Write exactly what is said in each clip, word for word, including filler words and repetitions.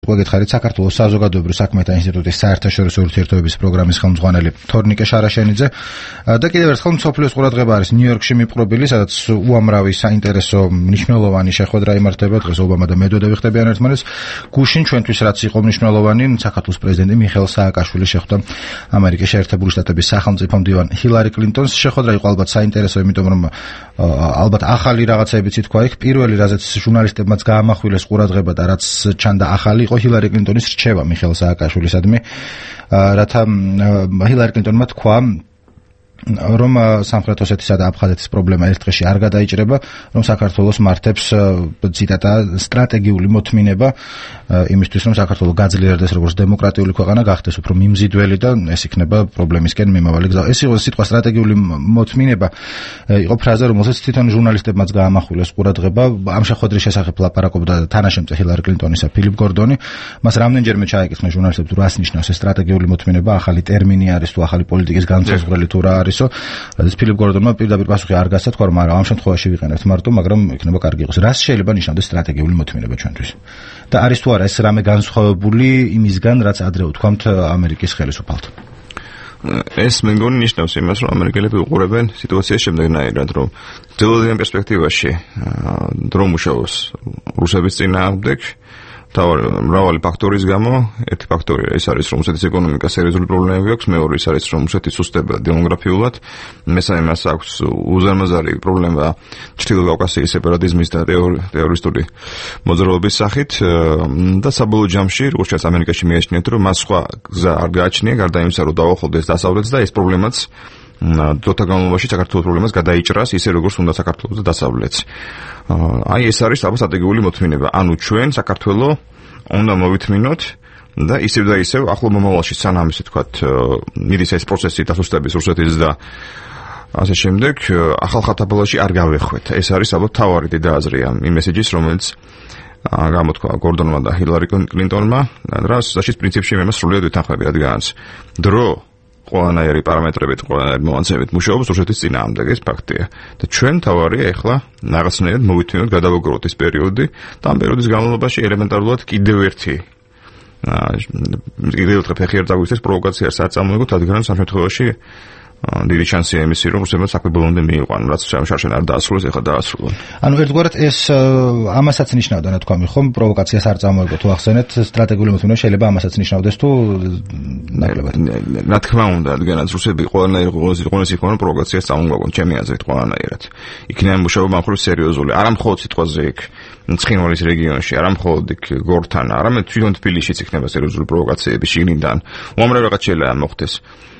გვეკითხარით საქართველოს საზოგადოებრივ საქმეთა ინსტიტუტის საერთაშორისო ურთიერთობების პროგრამის ხელმძღვანელი თორნიკე შარაშენიძე და კიდევ ერთხელ მსოფლიოს ყურადღება არის ნიუ-იორკში მიპყრობილი, სადაც უამრავი საინტერესო მნიშვნელოვანი შეხვედრა იმართება. დღეს ობამა და მედვედევი ხდებიან ერთმანეთს. გუშინ ჩვენთვის რაც იყო მნიშვნელოვანი, საქართველოს პრეზიდენტი მიხეილ სააკაშვილი შეხვდა ამერიკის შეერთებული შტატების სახელმწიფო მდივან ჰილარი კლინტონს. შეხვედრა იყო ალბათ საინტერესო, იმიტომ რომ ალბათ ახალი რაღაცებიც ითქვა იქ. პირველი რაზეც ჟურნალისტებმაც გაამახვილეს ყურადღება და რაც ჩანდა ახალი იყო ჰილარი კლინტონის რჩევა მიხეილ სააკაშვილისადმი, რათა ჰილარი კლინტონმა თქვა რომ სამხრეთ ოსეთისა და აფხაზეთის პრობლემა ერთ დღეში არ გადაიჭრება, რომ საქართველოს მართებს ციტატა სტრატეგიული მოთმინება იმისთვის, რომ საქართველო გაძლიერდეს როგორც დემოკრატიული ქვეყანა, გახდეს უფრო მიმზიდველი და ეს იქნება პრობლემისკენ მიმავალი გზა. ეს იყო სიტყვა სტრატეგიული მოთმინება, იყო ფრაზა, რომელსაც თვითონ ჟურნალისტებმაც გაამახვილეს ყურადღება. ამ შეხვედრის შესახებ ლაპარაკობდა თანაშემწე ჰილარი კლინტონისა ფილიპ გორდონი. მას რამდენჯერმე ჩაეკითხა ჟურნალისტებს, რას ნიშნავს ეს სტრატეგიული მოთმინება, ახალი ტერმინი არის თუ ახალი პოლიტიკის განმსაზღვრელი თუ რა არის. რადგან ფილიპ გორდონმა პირდაპირ პასუხი არ გასცა, თქვა რომ არა, ამ შემთხვევაში ვიყენებთ მარტო, მაგრამ იქნება კარგი იყოს. რას შეიძლება ნიშნავდეს სტრატეგიული მოთმინება ჩვენთვის? და არის თუ არა ეს რამე განსხვავებული იმისგან, რაც ადრე ვთქვამთ ამერიკის ხელისუფალთან? ეს მე მგონი ნიშნავს იმას, რომ ამერიკელები უყურებენ სიტუაციას შემდეგნაირად, რომ ძველადიან პერსპექტივაში დრო მუშაობს რუსების წინააღმდეგ. მრავალი ფაქტორის გამო, ერთი ფაქტორი ეს არის, რომ რუსეთის ეკონომიკა სერიოზული პრობლემები აქვს, მეორე ის არის, რომ რუსეთი სუსტდება დემოგრაფიულად, მესამე მას აქვს უზარმაზარი პრობლემა ჩრდილო კავკასიის სეპარატიზმის და ტერორისტული მოძრაობის სახით და საბოლოო ჯამში, როგორც ჩანს ამერიკაში მიაჩნიათ, რომ მას სხვა გზა არ გააჩნია, გარდა იმისა, რომ დაუახლოვდეს დასავლეთს და ეს პრობლემაც დროთა განმავლობაში საქართველოს პრობლემას გადაიჭრას, ისე როგორც უნდა საქართველოს და დასავლეთს. აი ეს არის ალბათ სტრატეგიული მოთმინება. ანუ ჩვენ საქართველოს უნდა მოვითმინოთ და ისევ და ისევ ახლო მომავალში სანამ ისე თქვათ მიდის ეს პროცესი დასუსტების რუსეთის და ასე შემდეგ ახალ ხათაბალაში არ გავეხვეთ. ეს არის ალბათ თავარი და აზრი ამ მესეჯის, რომელიც გამოთქვა გორდონმა და ჰილარი კლინტონმა, რაც საშიც პრინციპში მე მას სრულიად ვეთანხმები, რადგანაც დრო ყველანაირი პარამეტრებით, ყველანაირი მომაცემებით მუშაობს რუსეთის წინააღმდეგ, ეს ფაქტია. და ჩვენ თავარია ახლა რაღაცნაირად მოვითმინოთ, გადავაგროვოთ ეს პერიოდი და ამ პერიოდის განმავლობაში ელემენტარულად კიდევ ერთი კიდევ ერთი ფეხი არ წაგვიქცეს პროვოკაციას არ წამოიღოთ, რადგან ამ შემთხვევაში დიდი შანსია იმისი, რომ რუსებმა საქმე ბოლომდე მიიყვანონ, რაც შარშან არ დაასრულეს, ეხლა დაასრულონ. ანუ ერთგვარად ეს ამასაც ნიშნავდა, ნათქვამი, ხომ პროვოკაციას არ წამოიღოთ, თუ ახსენეთ სტრატეგიული მოთმინება შეიძლება ამასაც ნიშნავდეს თუ ნაკლებად. რა თქმა უნდა, რადგანაც რუსები ყველანაირ ყოველთვის იქნება პროვოკაციას წამოგვაგონ, ჩემი აზრით ყველანაირად. იქნებ მუშაობა მხრივ სერიოზული, არა მხოლოდ სიტყვაზე იქ ცხინვალის რეგიონში, არა მხოლოდ იქ გორთან, არამედ თვითონ თბილისშიც იქნება სერიოზული პროვოკაციები შიგნიდან. უამრავ რაღაც შეიძლება მოხდეს.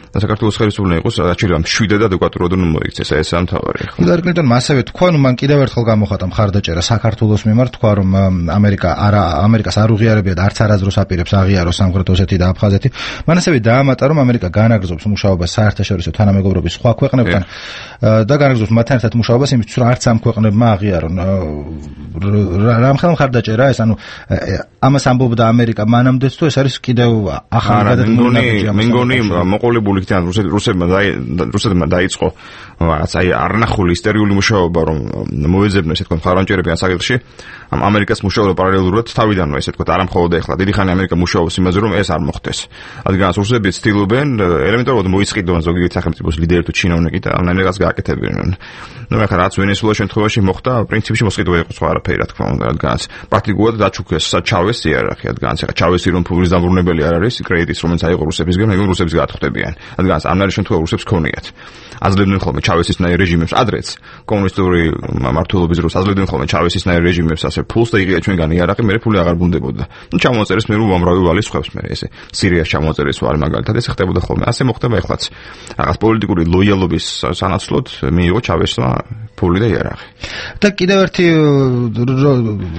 და საქართველოს ხელისუფლება იყოს რაჩერამ შვიდად ადეკვატურად უნდა მოიქცეს, ეს ამ თავარი. ჰილარი კლინტონმა ასევე თქვა, ნუ მან კიდევ ერთხელ გამოხატა მხარდაჭერა საქართველოს მიმართ, თქვა რომ ამერიკა არა ამერიკას არ უღიარებია და არც არასდროს აპირებს აღიაროს სამხრეთ ოსეთი და აფხაზეთი. მან ასევე დაამატა, რომ ამერიკა განაგრძობს მუშაობას საერთაშორისო თანამეგობრობის სხვა ქვეყნებთან და განაგრძობს მათთან ერთად მუშაობას იმისთვის, რომ არც ამ ქვეყნებმა აღიარონ. რამხელა მხარდაჭერა ეს, ანუ ამას ამბობდა ამერიკა მანამდეც თუ ეს არის კიდევ ახალი გადადგმული? მე მგონი მოყოლებული რუსებმა რუსებმა დაიწყო რაღაც აი არნახული ისტერიული მუშაობა, რომ მოეძებნეს ესე თქვა მხარდაჭერებიან საკითხში ამ ამერიკას მუშაობა პარალელურად თავიდანვე ესე თქვა, არა მხოლოდ ეხლა დიდი ხანი ამერიკა მუშაობს იმაზე, რომ ეს არ მოხდეს. რადგან რუსები ცდილობენ ელემენტარულად მოისყიდონ ზოგიერთი სახელმწიფოს ლიდერი თუ ჩინოვნიკი და ამან რაღაც გააკეთებინონ. ნუ ეხლა რაც ვენესუელა შემთხვევაში მოხდა, პრინციპში მოსყიდვა იყო სხვა არაფერი, რა თქმა უნდა, რადგან პრაქტიკულად დაჩუქეს ჩავეს იარარქია, რადგან ეხლა ჩავესი რომ ფულის დამბრუნებელი არ არის, კრედიტის რომელიც აიღო რუსებისგან, ეგ რუსებს გაათხოვდებიან. რადგან ამნაირი შემთხვევა რუსებს ქონიათ. აძლევდნენ ხოლმე ჩავესისნაირ რეჟიმებს ადრეც, კომუნისტური მმართველობის დროს აძლევდნენ ხოლმე ჩავესისნაირ რეჟიმებს ასე ფულს და იღია ჩვენგან იარაღი, მე ფული აღარ ბუნდებოდა. ნუ ჩამოაწერეს მე უამრავი ვალის ხვევს მე ესე. სირიას ჩამოაწერეს ვარ მაგალითად, ეს ხდებოდა ხოლმე. ასე მოხდება ეხლაც. რაღაც პოლიტიკური ლოიალობის სანაცვლოდ მიიღო ჩავესმა ფული და იარაღი. და კიდევ ერთი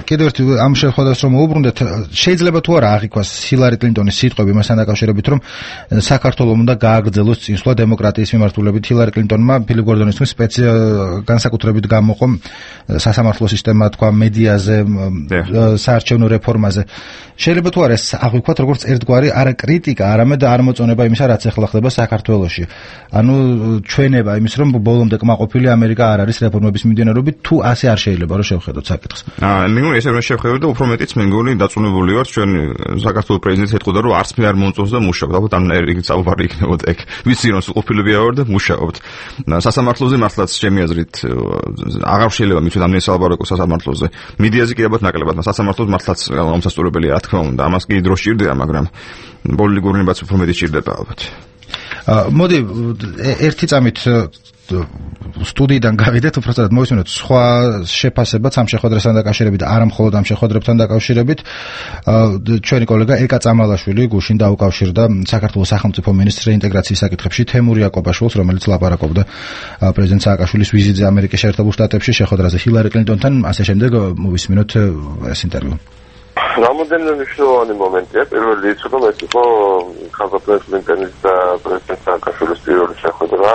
კიდევ ერთი ამ შეხვედრას რომ უბრუნდეთ, შეიძლება თუ არა აღიქვას ჰილარი კლინტონის სიტყვები მასთან დაკავშირებით, რომ საქართველოს უნდა გააგრძელოს წინსვლა დემოკრატიის მიმართულებით. ჰილარი კლინტონმა ფილიპ გორდონის თქმით სპეციალ განსაკუთრებით გამოყო სასამართლო სისტემა, თქვა მედიაზე, საარჩევნო რეფორმაზე. შეიძლება თუ არა ეს აღვიქვათ როგორც ერთგვარი არა კრიტიკა, არამედ არმოწონება იმისა, რაც ახლა ხდება საქართველოში. ანუ ჩვენება იმის, რომ ბოლომდე კმაყოფილი ამერიკა არ არის რეფორმების მიმდინარეობით თუ ასე არ შეიძლება რომ შევხედოთ საკითხს. აა მე მგონი ესე რომ შევხედოთ და უფრო მეტიც მე მგონი დაწუნებული ვარ ჩვენ საქართველოს პრეზიდენტს ეთქოდა რომ არც მე არ მომწონს და მუშაობ. ალბათ ამ რიგით საუბარი იქნებოდა ეგ. ვიცი რომ ყოფილები ავარ და მუშაობთ. სასამართლოზე მართლაც ჩემი აზრით აღარ შეიძლება მithვით ამ ნესალბაროკო სასამართლოზე. მედიაზე კი ალბათ ნაკლებად, სასამართლოს მართლაც გამოსასწორებელია, რა თქმა უნდა. ამას კი დრო სჭირდება, მაგრამ პოლიტიკური ნებაც უფრო მეტი სჭირდება ალბათ. მოდი ერთი წამით სტუდიიდან გავიდეთ, უბრალოდ მოვისმინოთ სხვა შეფასებაც ამ შეხვედრასთან დაკავშირებით, არა მხოლოდ ამ შეხვედრებთან დაკავშირებით. ჩვენი კოლეგა ეკა წამალაშვილი გუშინ დაუკავშირდა საქართველოს სახელმწიფო მინისტრს რეინტეგრაციის საკითხებში თემურ იაკობაშვილს, რომელიც ლაპარაკობდა პრეზიდენტ სააკაშვილის ვიზიტზე ამერიკის შეერთებულ შტატებში, შეხვედრაზე ჰილარი კლინტონთან, ასე შემდეგ მოვისმინოთ ეს ინტერვიუ. რამოდენიმე მნიშვნელოვანი მომენტია. პირველი ის რომ ეს იყო ხალხის კლინტონის და პრეზიდენტ სააკაშვილის პირველი შეხვედრა,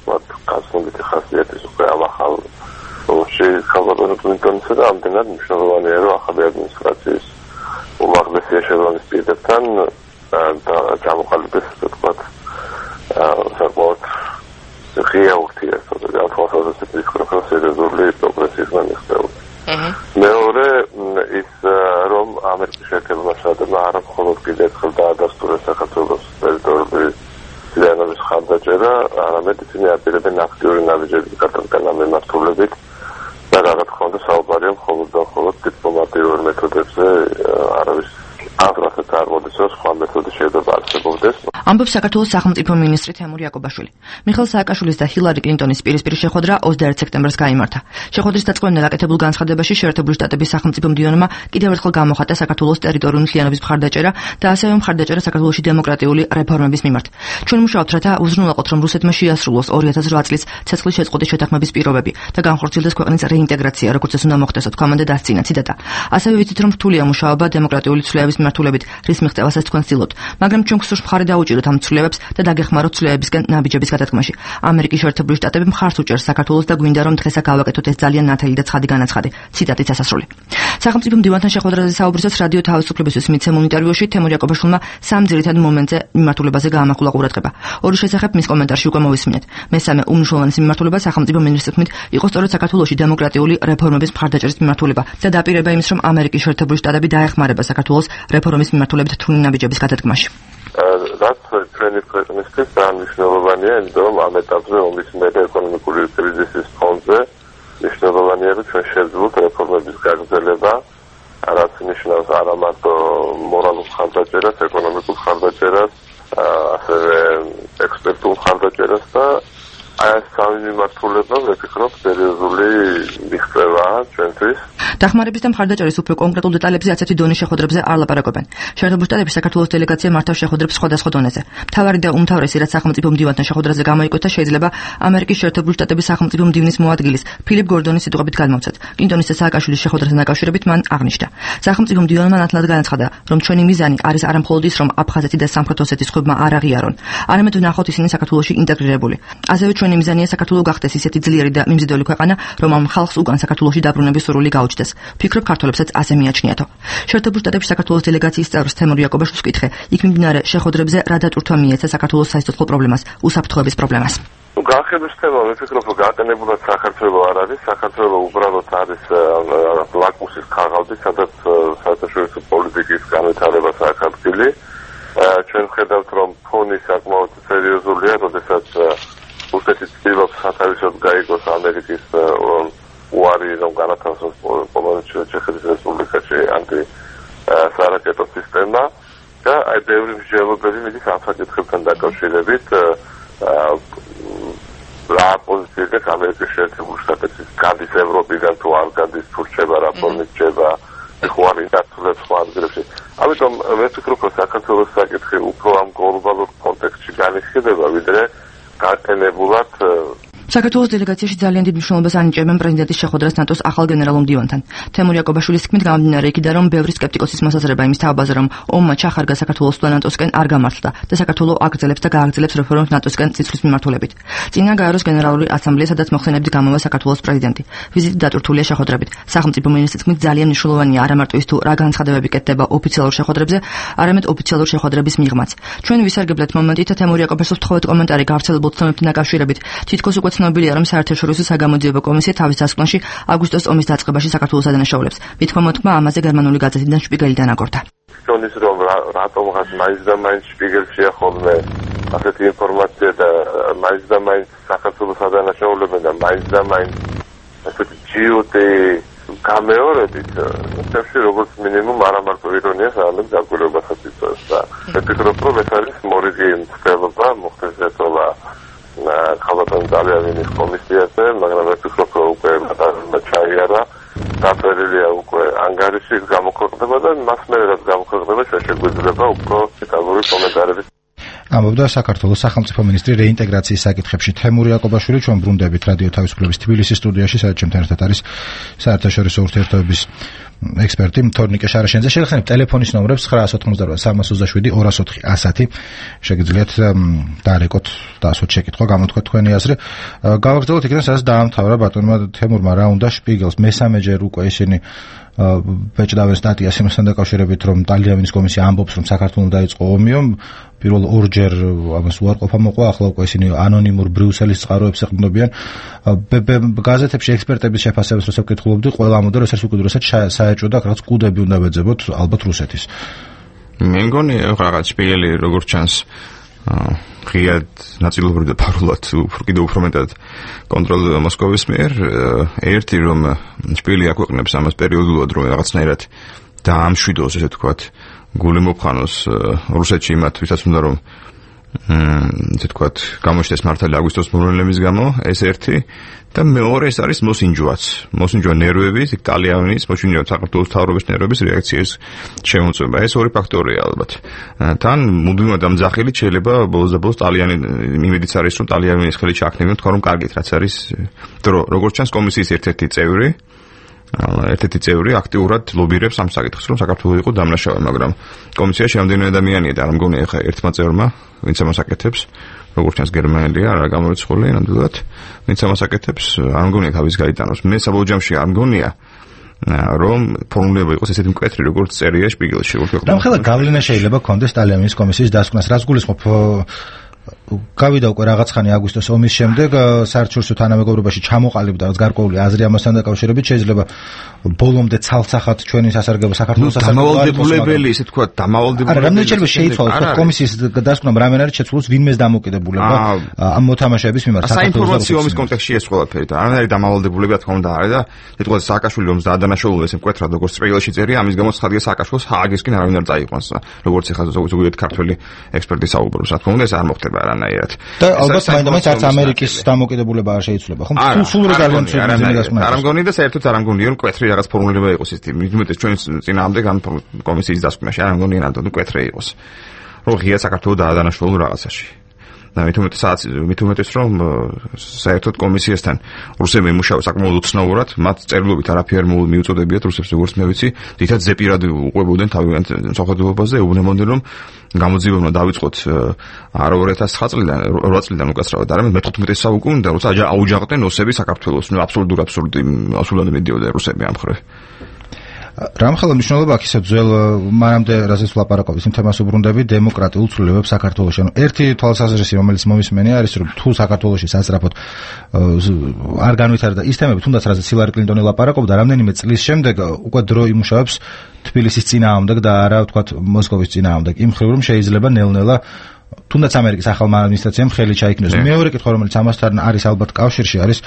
მათ გასული ხასიათის უკვე ამ ახალ ოში ხალხის კლინტონისა და ამდენად მნიშვნელოვანია რომ ახალი ადმინისტრაციის უმაღლესი ეშელონის პირებთან და ჩამოყალიბდეს თქვათ საკმაოდ ღია ურთიერთობა და თვალსაზრისით ისქროფოს სერიოზული პროგრესის განხილვა. მეორე ის რომ ამერიკის შეერთებულმა შტატებმა არა მხოლოდ კიდევ ერთხელ დაადასტურეს საქართველოს ტერიტორიული ძალების ხარდაჭერა, არამედ ისინი აპირებენ აქტიური ნაბიჯების გატარება მემართულებით და რა თქმა უნდა საუბარია მხოლოდ და მხოლოდ დიპლომატიურ მეთოდებზე, არავის აღრასაც არ მოდის რომ სხვა მეთოდი შეიძლება არსებობდეს. ამბობს საქართველოს სახელმწიფო მინისტრი თემურ იაკობაშვილი. მიხეილ სააკაშვილის და ჰილარი კლინტონის პირისპირ შეხვედრა ოცდაერთი სექტემბერს გაიმართა. შეხვედრის დაწყებამდე გაკეთებულ განცხადებაში შეერთებული შტატების სახელმწიფო მდივანმა კიდევ ერთხელ გამოხატა საქართველოს ტერიტორიული მთლიანობის მხარდაჭერა და ასევე მხარდაჭერა საქართველოში დემოკრატიული რეფორმების მიმართ. ჩვენ მუშაობთ, რათა უზრუნველყოთ, რომ რუსეთმა შეასრულოს ორი ათას რვა წლის ცეცხლის შეწყვეტის შეთანხმების პირობები და განხორციელდეს ქვეყნის რეინტეგრაცია, როგორც ეს უნდა მოხდეს, თქვამამდე დასცინა ციტატა. ასევე ვიცით, რომ რთულია მუშაობა დემოკრატიული ცვლილებების მიმართულებით, რის მიღწევასაც თქვენ ცდილობთ, მაგრამ ჩვენ გსურს მხარი დაუჭიროთ ამ ცვლილებებს და დაგეხმაროთ ცვლილებებისგან ნაბიჯების გადადგმაში. ამერიკის შეერთებული შტატები მხარს უჭერს საქართველოს და გვინდა რომ დღესა გავაკეთოთ ეს ძალიან ნათელი და ცხადი განაცხადი. ციტატით ასასრული. სახელმწიფო მდივანთან შეხვედრაზე საუბრისას რადიო თავისუფლებისთვის მიცემულ ინტერვიუში თემურ იაკობაშვილმა სამ ძირითად მომენტზე მიმართულებაზე გაამახვილა ყურადღება. ორი შესახებ მის კომენტარში უკვე მოვისმინეთ. მესამე უმნიშვნელოვანესი მიმართულება სახელმწიფო მინისტრის თქმით იყო სწორედ საქართველოში დემოკრატიული რეფორმების მხარდაჭერის მიმართულება და დაპირება იმის რომ ამერიკის შეერთებული შტატები დაეხმარება საქართველოს რეფორმის მიმართულებით რთული ნაბიჯების გადადგმაში. რაც ჩვენი ქვეყნისთვის ძალიან მნიშვნელოვანია, იმიტომ რომ ამ ეტაპზე ომის მერე ეკონომიკური კრიზისის ფონზე მნიშვნელოვანია რომ ჩვენ შევძლოთ რეფორმების გაგრძელება, რაც ნიშნავს არა მარტო მორალურ ხარდაჭერას, ეკონომიკურ ხარდაჭერას, ასევე ექსპერტულ ხარდაჭერას და აი ეს სამი მიმართულება ვფიქრობ სერიოზული მიღწევაა ჩვენთვის. დახმარების და მხარდაჭერის უფრო კონკრეტულ დეტალებზე ასეთი დონის შეხვედრებზე არ ლაპარაკობენ. შეერთებულ შტატებში საქართველოს დელეგაცია მართავს შეხვედრებს სხვადასხვა დონეზე. მთავარი და უმთავრესი რაც სახელმწიფო მდივანთან შეხვედრაზე გამოიკვეთა შეიძლება ამერიკის შეერთებული შტატების სახელმწიფო მდივნის მოადგილის ფილიპ გორდონის სიტყვებით გადმოვცეთ. კლინტონის და სააკაშვილის შეხვედრასთან დაკავშირებით მან აღნიშნა. სახელმწიფო მდივანმა ნათლად განაცხადა, რომ ჩვენი მიზანი არის არა მხოლოდ ის, რომ აფხაზეთი და სამხრეთ ოსეთის ხუბმა არ აღიარონ, არამედ ვნახოთ ისინი საქართველოში ინტეგრირებული. ასევე ჩვენი მიზანია საქართველო გახდეს ისეთი ძლიერი და მიმზიდველი ქვეყანა, რომ ამ ხალხს უკან საქართველოში დაბრუნების სურვილი გაუჩნდეს. ფიქრობ ქართველებსაც ასე მიაჩნიათო. შეერთებულ შტატებში საქართველოს დელეგაციის წევრ თემურ იაკობაშვილს ვკითხე, იქ მიმდინარე შეხვედრებზე რა დატვირთვა მიეცა საქართველოს საისტორიო პრობლემას, უსაფრთხოების პრობლემას. ნუ განხილვის თემა მე ვფიქრობ, რომ გაყენებულად საქართველო არ არის, საქართველო უბრალოდ არის ლაკმუსის ქაღალდი, სადაც საერთაშორისო პოლიტიკის განვითარება საერთაშორისო. ჩვენ ხედავთ, რომ ფონი საკმაოდ სერიოზულია, როდესაც რუსეთი ცდილობს სათავისოდ გაიგოს ამერიკის უარი რომ განათავსოს ჩეხეთის რესპუბლიკაში ანტი სარაკეტო სისტემა და აი ბევრი მსჯელობები მიდის ამ საკითხებთან დაკავშირებით რა პოზიციაზე ამერიკის შეერთებული შტატების გადის ევროპიდან თუ არ გადის თუ რჩება რაფორმით რჩება ხო არის დაცულებს სხვა ადგილებში. ამიტომ მე ვფიქრობ რომ საქართველოს საკითხი უფრო ამ გლობალურ კონტექსტში განიხილება ვიდრე გაყენებულად საქართველოს დელეგაციაში ძალიან დიდ მნიშვნელობას ანიჭებენ პრეზიდენტის შეხვედრას ნატოს ახალ გენერალურ მდივანთან. თემურ იაკობაშვილის თქმით გამომდინარე იქიდან რომ ბევრი სკეპტიკოსის მოსაზრება იმის თავაზე რომ ომმა ჩახარგა საქართველოს და ნატოსკენ არ გამართლდა და საქართველო აგრძელებს და გააგრძელებს რეფორმებს ნატოსკენ წინსვლის მიმართულებით. წინა გაეროს გენერალური ასამბლეა, სადაც მოხსენებით გამოვა საქართველოს პრეზიდენტი. ვიზიტი დატვირთულია შეხვედრებით. სახელმწიფო მინისტრის თქმით ძალიან მნიშვნელოვანია არა მარტო ის თუ რა განცხადებები კეთდება ოფიციალურ შეხვედრებზე, არამედ ოფიციალურ შეხვედრების მიღმაც. ჩვენ ვისარგებლეთ მომენტით თემურ იაკობაშვილს თხოვეთ კომენტარი გავრცელებულ ცნობებთან დაკავშირებით. თითქოს უკვე ცნობილია, რომ საერთაშორისო საგამოძიებო კომისია თავის დასკვნაში აგვისტოს ომის დაწყებაში საქართველოს ადანაშაულებს. მithმა მოთქმა ამაზე გერმანული გაზეთიდან შპიგელი დანაგორდა. ჩვენის რომ რატომღაც მაინც და მაინც შპიგელში ახოლმე ასეთი ინფორმაცია და მაინც და მაინც საქართველოს ადანაშაულებენ და მაინც და მაინც ასეთი ჯიუტი გამეორებით თემში როგორც მინიმუმ არა მარტო ირონიას, არამედ დაკვირვებასაც იწვევს და ვფიქრობ, რომ ეს არის მორიგი მცდელობა მოხდესეთოლა ხალხთან ძალიანის კომისიაზე, მაგრამ ვფიქრობ, რომ უკვე ჩაიარა დაწერილია უკვე ანგარიში გამოქვეყნდება და მას მერე რაც გამოქვეყნდება შეგვიძლია უფრო დეტალური კომენტარები. ამბობდა საქართველოს სახელმწიფო მინისტრი რეინტეგრაციის საკითხებში თემური იაკობაშვილი. ჩვენ ბრუნდებით რადიო თავისუფლების თბილისის სტუდიაში, სადაც ჩემთან ერთად არის საერთაშორისო ურთიერთობების ექსპერტი თორნიკე შარაშენიძე. შეგახსენებთ ტელეფონის ნომრებს ცხრა ოცდაოთხი სამას ოცდაშვიდი ორას ოთხი ასათი. შეგიძლიათ დაარეკოთ და ასოთ შეკითხვა გამოთქვათ თქვენი აზრი. გავაგრძელოთ იქიდან, სადაც დაამთავრა ბატონმა თემურმა რა უნდა შპიგელს მესამეჯერ უკვე ისინი ბეჭდავენ სტატიას იმასთან დაკავშირებით, რომ ტალიანის კომისია ამბობს, რომ საქართველოს დაიწყო ომი, პირველ ორჯერ ამას უარყოფა მოყვა, ახლა უკვე ისინი ანონიმურ ბრიუსელის წყაროებს ეყრდნობიან. გაზეთებში ექსპერტების შეფასებას როცა ვკითხულობდი, ყველა ამბობდა, რომ ეს უკიდურესად საეჭვო და რაღაც კუდები უნდა ბეძებოთ ალბათ რუსეთის. მე მგონი რაღაც შპიგელი როგორც ჩანს ღიად ნაწილობრივ და ფარულად კიდევ უფრო მეტად კონტროლდება მოსკოვის მიერ. ერთი რომ შპილი აქვეყნებს ამას პერიოდულად, რომ რაღაცნაირად დაამშვიდოს, ესე ვთქვათ, გული მოფხანოს რუსეთში იმათ, ვისაც უნდა რომ ესე ვთქვათ, გამოჩნდეს მართალი აგვისტოს მოვლენების გამო, ეს ერთი და მეორე ეს არის მოსინჯვაც. მოსინჯვა ნერვების, ტალიანის, მოსინჯვა საქართველოს თავრობის ნერვების რეაქციის შემოწმება. ეს ორი ფაქტორია ალბათ. თან მუდმივად ამძახილით შეიძლება ბოლოს და ბოლოს ტალიანი იმედიც არის, რომ ტალიანის ხელით ჩააქნებინოთ, თქვა რომ კარგით რაც არის დრო. როგორც ჩანს კომისიის ერთ-ერთი წევრი ერთ-ერთი წევრი აქტიურად ლობირებს ამ საკითხს, რომ საქართველოს იყო დამნაშავე, მაგრამ კომისიაში რამდენი ადამიანია და არ მგონია ხა ერთმა წევრმა, ვინც ამას აკეთებს, როგორც ჩანს გერმანელია, არა გამორიცხული ნამდვილად, ვინც ამას აკეთებს, არ მგონია თავის გაიტანოს. მე საბოლოო ჯამში არ მგონია რომ ფორმულება იყოს ესეთი მკვეთრი, როგორც წერია შპიგელში. რამხელა გავლენა შეიძლება კონდეს ტალიანის კომისიის დასკვნას, რაც გულისხმობ გავიდა უკვე რაღაც ხანი აგვისტოს ომის შემდეგ საერთაშორისო თანამეგობრობაში ჩამოყალიბდა რაღაც გარკვეული აზრი ამასთან დაკავშირებით, შეიძლება ბოლომდე ცალსახად ჩვენი სასარგებლო საქართველოს სასარგებლო დამავალდებულებელი, ესე თქვა, დამავალდებულებელი. არა, რამდენი შეიძლება შეიცვალოს თქვა კომისიის დასკვნამ რამენ არის შეცვლოს ვინმეს დამოკიდებულება ამ მოთამაშეების მიმართ საინფორმაციო ომის კონტექსტში ეს ყველაფერი და არ არის დამავალდებულება, თქმა უნდა, არის და ეთქვა სააკაშვილი რომს დაადანაშაულა ესე მკვეთრად როგორც სპეციალში წერია, ამის გამო ხადია სააკაშვილს ჰააგისკენ არავინ არ წაიყვანს, როგორც ეხლა ზოგადად ქართველი ექსპერტი საუბრობს, რა თქმა უნდა ეს არ მოხდება არანაირად. და ალბათ მაინც არც ამერიკის დამოკიდებულება არ შეიძლება, ხო? სულ რეგალიან ცუდად არ მგონი და საერთოდ არ მგონია რომ მკვეთრი რაღაც ფორმულირება იყოს ეს თემი. მithumetes ჩვენ წინააღმდეგ ამ კომისიის დასკვნაში არ მგონია ნამდვილად მკვეთრი იყოს. რომ ღია საქართველოს დაადანაშაულა რაღაცაში. და მithumetes მithumetes რომ საერთოდ კომისიასთან რუსები იმუშავა საკმაოდ უცნაურად, მათ წერილობით არაფერ მიუწოდებიათ რუსებს, როგორც მე ვიცი, თითქოს ზეპირად უყვებოდნენ თავიანთ სახელმწიფოებაზე, ეუბნებოდნენ რომ გამოძიებებმა დავიწყოთ არა ორი ათას ცხრა წლიდან, რვა წლიდან უკაცრავად, არამედ მეთოთხმეტე საუკუნიდან, როცა აუჯანყდნენ რუსები საქართველოს, ნუ აბსოლუტურ აბსურდი, აბსოლუტურად მიდიოდა რუსები ამ მხრივ. რამხელა მნიშვნელობა აქვს ისე ძველ მანამდე რაზეც ვლაპარაკობთ იმ თემას უბრუნდები დემოკრატიულ ცვლილებებს საქართველოში. ანუ ერთი თვალსაზრისი, რომელიც მომისმენია, არის რომ თუ საქართველოში სასწრაფოდ არ განვითარდა ის თემები, თუნდაც რაზეც ჰილარი კლინტონი ლაპარაკობდა, რამდენიმე წლის შემდეგ უკვე დრო იმუშავებს თბილისის წინააღმდეგ და არა ვთქვათ მოსკოვის წინააღმდეგ. იმ მხრივ რომ შეიძლება ნელ-ნელა თუნდაც ამერიკის ახალმა ადმინისტრაციამ ხელი ჩაიქნოს. მეორე კითხვა, რომელიც ამასთან არის ალბათ კავშირში, არის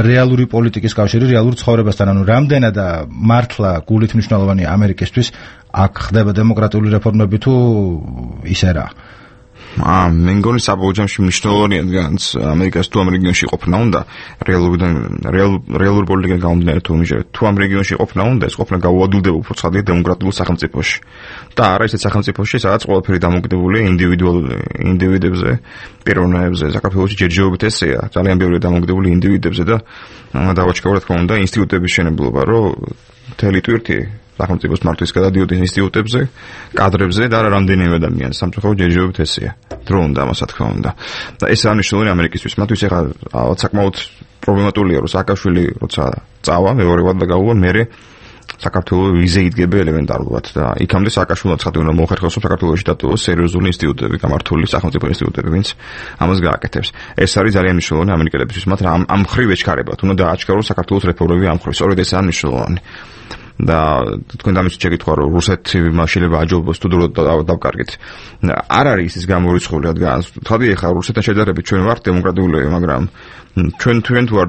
რეალური პოლიტიკის კავშირი, რეალურ ცხოვრებასთან. ანუ რამდენად მართლა გულით მნიშვნელოვანია ამერიკისთვის აქ ხდება დემოკრატიული რეფორმები თუ ისე რა? აა მე მგონი საბოლოო ჯამში მნიშვნელოვანია განც ამერიკას თუ ამ რეგიონში ყოფნა უნდა რეალურიდან რეალურ პოლიტიკიდან გამომდინარე თუ მიჟე თუ ამ რეგიონში ყოფნა უნდა ეს ყოფნა გაუადვილდება უფრო ცხადია დემოკრატიულ სახელმწიფოში და არა ისეთ სახელმწიფოში სადაც ყველაფერი დამოკიდებულია ინდივიდუალურ ინდივიდებზე პიროვნებებზე საქართველოში ჯერჯერობით ესეა ძალიან ბევრი დამოკიდებული ინდივიდებზე და დავაჩქარო რა თქმა უნდა ინსტიტუტების შენებლობა რომ მთელი ტვირთი სახელმწიფოს მართვის გადადიოდი ინსტიტუტებზე, კადრებზე და რამდენიმე ადამიანს სამწუხაროდ ჯერჯერობით ესეა. დრო უნდა ამას რა თქმა უნდა. და ეს ანიშნულია ამერიკისთვის. მათთვის ეხლა საკმაოდ პრობლემატურია, რომ სააკაშვილი როცა წავა, მეორევად და გაუვა, მერე საქართველოს ვიზე იდგება ელემენტარულად და იქამდე სააკაშვილო ცხადია უნდა მოხერხოს რომ საქართველოში დატოვოს სერიოზული ინსტიტუტები, გამართული სახელმწიფო ინსტიტუტები, ვინც ამას გააკეთებს. ეს არის ძალიან მნიშვნელოვანი ამერიკელებისთვის, მათ ამ ამ მხრივ ეჩქარებათ, უნდა დააჩქაროს საქართველოს რეფორმები ამ მხრივ. სწორედ ესაა მნიშვნელოვანი. და თქვენ დამის შეკითხვა რომ რუსეთი მაშილება აჯობოს თუ დრო დავკარგეთ. არ არის ის გამორიცხული, რადგან თქვი ახლა რუსეთთან შედარებით ჩვენ ვართ დემოკრატიულები, მაგრამ ჩვენ თქვენ თუ არ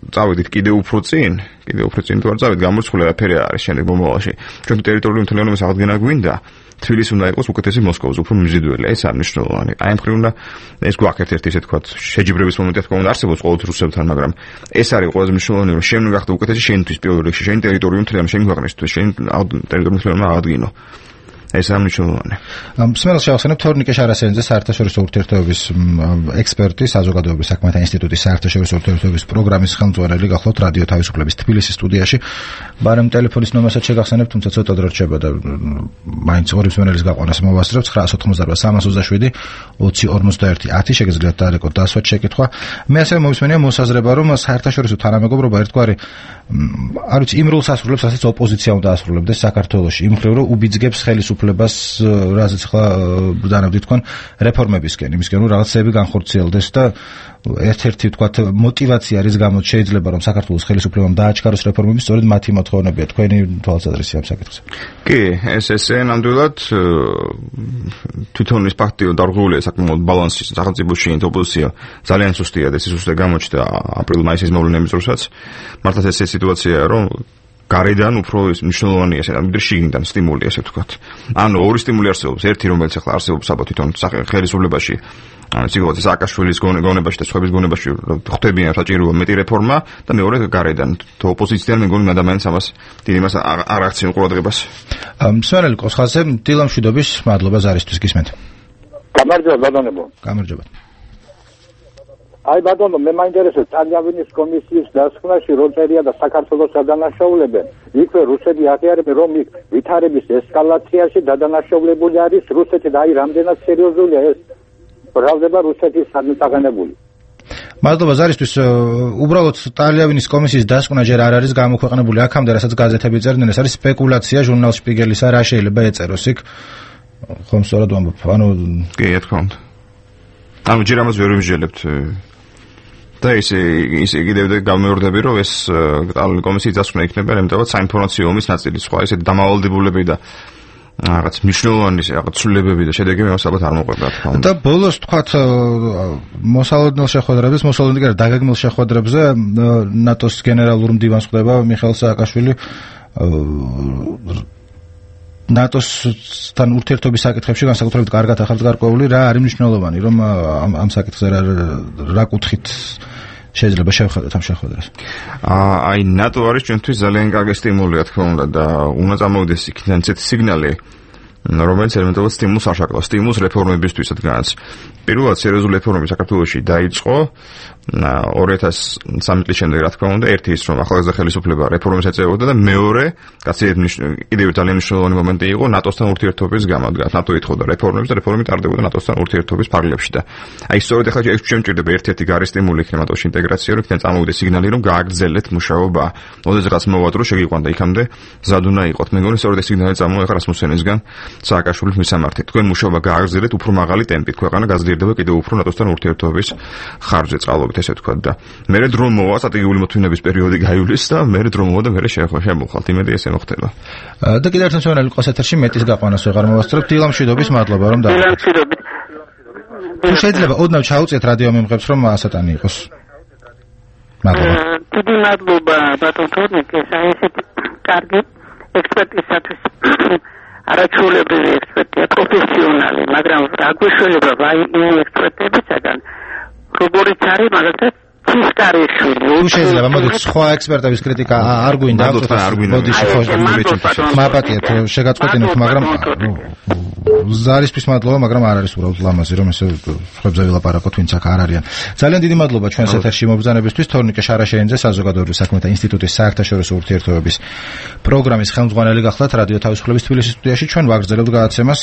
წავედით კიდე უფრო წინ, კიდე უფრო წინ თუ არ წავედით, გამორიცხული არაფერი არის შემდეგ მომავალში. ჩვენ ტერიტორიული მთლიანობის აღდგენა გვინდა. თბილისი უნდა იყოს უკეთესი მოსკოვის, უფრო მიზიდველი. ეს არის მნიშვნელოვანი. აი ამ მხრივ უნდა ეს გვაქვს ერთ-ერთი ესე თქვა შეჯიბრების მომენტი თქვა უნდა არსებობს ყოველთვის რუსებთან, მაგრამ ეს არის ყველაზე მნიშვნელოვანი, რომ შენ გახდე უკეთესი შენთვის პირველ რიგში, შენი ტერიტორიული მთლიანობა, შენი ქვეყნისთვის, შენი ტერიტორიული მთლიანობა აღადგინო. ეს არის მნიშვნელოვანი. მსმენელს შევახსენებ თორნიკე შარასენიძე საერთაშორისო ურთიერთობების ექსპერტი, საზოგადოებრივი საქმეთა ინსტიტუტის საერთაშორისო ურთიერთობების პროგრამის ხელმძღვანელი გახლავთ რადიო თავისუფლების თბილისის სტუდიაში. ბარემ ტელეფონის ნომერსაც შეგახსენებ, თუმცა ცოტა დრო რჩება და მაინც ორი მსმენელის გაყვანას მოვასწრებ ცხრაას ოთხმოცდარბა სამას ოცდაშვიდი ოცი ორმოცდაერთი ათი შეგიძლიათ დაარეკოთ დასვათ შეკითხვა. მე ასევე მომისმენია მოსაზრება, რომ საერთაშორისო თანამეგობრობა ერთგვარი არ ვიცი იმ როლს ასრულებს, რასაც ოპოზიცია უნდა ასრულებდეს საქართველოში, იმ მხრივ რომ უბიძგებს ხელისუფლებას, რასაც ახლა ბრძანებდით თქვენ რეფორმებისკენ, იმისკენ რომ რაღაცები განხორციელდეს და ერთ-ერთი ვთქვათ мотиваცია რის გამოც შეიძლება რომ საქართველოს ხელისუფლებამ დააჩქაროს რეფორმები, სწორედ მათი მოთხოვნებია. თქვენი თვალსაზრისი ამ საკითხზე. კი, ეს ესე ნამდვილად თვითონ ის ფაქტი დარღვეულია საკმაოდ ბალანსი სახელმწიფოში ოპოზიცია ძალიან სუსტია და ეს სუსტე გამოჩნდა აპრილ-მაისის მოვლენების დროსაც. მართლაც ეს სიტუაციაა რომ გარედან უფრო მნიშვნელოვანია ეს და შიგნიდან სტიმული ასე ვთქვათ. ანუ ორი სტიმული არსებობს, ერთი რომელიც ახლა არსებობს საბა თვითონ ხელისუფლებაში, ანუ სიგოძე სააკაშვილის გონებაში და სხვების გონებაში ხვდებიან საჭიროა მეტი რეფორმა და მეორე გარედან თუ ოპოზიციიდან მეგონი ადამიანს ამას დიდი მას არ აქციან ყურადღებას. მსმენელი კოსხაძე, დილამშვიდობის მადლობა ზარისთვის გისმენთ. გამარჯობა ბატონებო. გამარჯობა. აი ბატონო, მე მაინტერესებს ტალიანის კომისიის დასკვნაში რო წერია და საქართველოს დადანაშაულებენ. იქვე რუსები აღიარებენ, რომ იქ ვითარების ესკალაციაში დადანაშაულებული არის რუსეთი და აი რამდენად სერიოზულია ეს ბრალდება რუსეთის საგანებული. მადლობა ზარისთვის. უბრალოდ ტალიანის კომისიის დასკვნა ჯერ არ არის გამოქვეყნებული აქამდე, რასაც გაზეთები წერდნენ, ეს არის სპეკულაცია ჟურნალ შპიგელისა, რა შეიძლება ეწეროს იქ. ხომ სწორად ვამბობ, ანუ კი, რა თქმა უნდა. ანუ ჯერ ამას ვერ ვიმსჯელებთ. და ისე ისე კიდევ გამეორდები რომ ეს ტალიანის კომისიის დასკვნა იქნება ელემენტარულად საინფორმაციო ომის ნაწილი, სხვა ისე დამავალდებულები და რაღაც მნიშვნელოვანი რაღაც ცვლილებები და შედეგები მას ალბათ არ მოყვება რა თქმა უნდა. და ბოლოს თქვათ მოსალოდნელ შეხვედრებს, მოსალოდნელ კი დაგეგმილ შეხვედრებზე ნატოს გენერალურ მდივანს ხვდება მიხეილ სააკაშვილი ნატოსთან ურთიერთობის საკითხებში განსაკუთრებით კარგად ახალ გარკვეული რა არის მნიშვნელოვანი, რომ ამ ამ საკითხზე რა კუთხით შეიძლება შევხედოთ ამ შეხვედრას. აი ნატო არის ჩვენთვის ძალიან კარგი სტიმული რა თქმა უნდა და უნდა წამოვიდეს იქიდან ესეთი სიგნალი, რომელიც ელემენტარულად სტიმულს აშაკრავს, სტიმულს რეფორმებისთვისაც. პირველად სერიოზული რეფორმები საქართველოში დაიწყო ორი ათას სამი წლის შემდეგ რა თქმა უნდა, ერთი ის რომ ახალგაზრდა ხელისუფლება რეფორმებს ეწეოდა და მეორე კაცი კიდევ ძალიან მნიშვნელოვანი მომენტი იყო ნატოსთან ურთიერთობის გამოდგა. ნატო ეთხოვდა რეფორმებს და რეფორმები ტარდებოდა ნატოსთან ურთიერთობის ფარგლებში და აი სწორედ ახლა შემჭირდება ერთ-ერთი გარე სტიმული იქნება ნატოში ინტეგრაცია, რომ იქიდან წამოვიდეს სიგნალი, რომ გააგრძელეთ მუშაობა. ოდესღაც მოვადრო შეგიყვანდა იქამდე ზად უნდა იყოთ. მე მგონი სწორედ ეს სიგნალი წამოიღო რასმუსენისგან სააკაშვილის მისამართით. თქვენ მუშაობა გააგრძელეთ უფრო მაღალი ტემპით, ქვეყანა გაზრდილია კიდევ უფრო ნატოსთან ურთიერთობის ხარჯზე წყალობით ესე ვთქვათ და მერე დრო მოვა სტრატეგიული მოთმინების პერიოდი გაივლის და მერე დრო მოვა და მერე შემოვხვალთ იმედი ესე მოხდება. და კიდევ ერთ მსმენელი ყოს ეთერში მეტის გაყვანას ვეღარ მოვასწრებ. დილამშვიდობის მადლობა რომ და დილამშვიდობის. თუ შეიძლება ოდნავ ჩაუწიეთ რადიო მიმღებს რომ ასატანი იყოს. მადლობა. დიდი მადლობა ბატონ თორნიკე, ესეთი კარგი ექსპერტისათვის. არაჩვეულებრივი ექსპერტია, პროფესიონალი, მაგრამ რა გვეშველება ვაი იმ ექსპერტებისაგან როგორიც არის მაგალითად ცისკარიშვილი. თუ შეიძლება მოდით სხვა ექსპერტების კრიტიკა არ გვინდა, მოდი შეხოს მაპატიეთ, შეგაწყვეტინოთ, მაგრამ ზარისთვის მადლობა, მაგრამ არ არის უბრალოდ ლამაზი რომ ესე ხებზე ვილაპარაკოთ, ვინც აქ არ არიან. ძალიან დიდი მადლობა ჩვენს ეთერში მობრძანებისთვის. თორნიკე შარაშენიძე, საზოგადოებრივი საქმეთა ინსტიტუტის საერთაშორისო ურთიერთობების პროგრამის ხელმძღვანელი გახლავთ რადიო თავისუფლების თბილისის სტუდიაში. ჩვენ ვაგრძელებთ გადაცემას.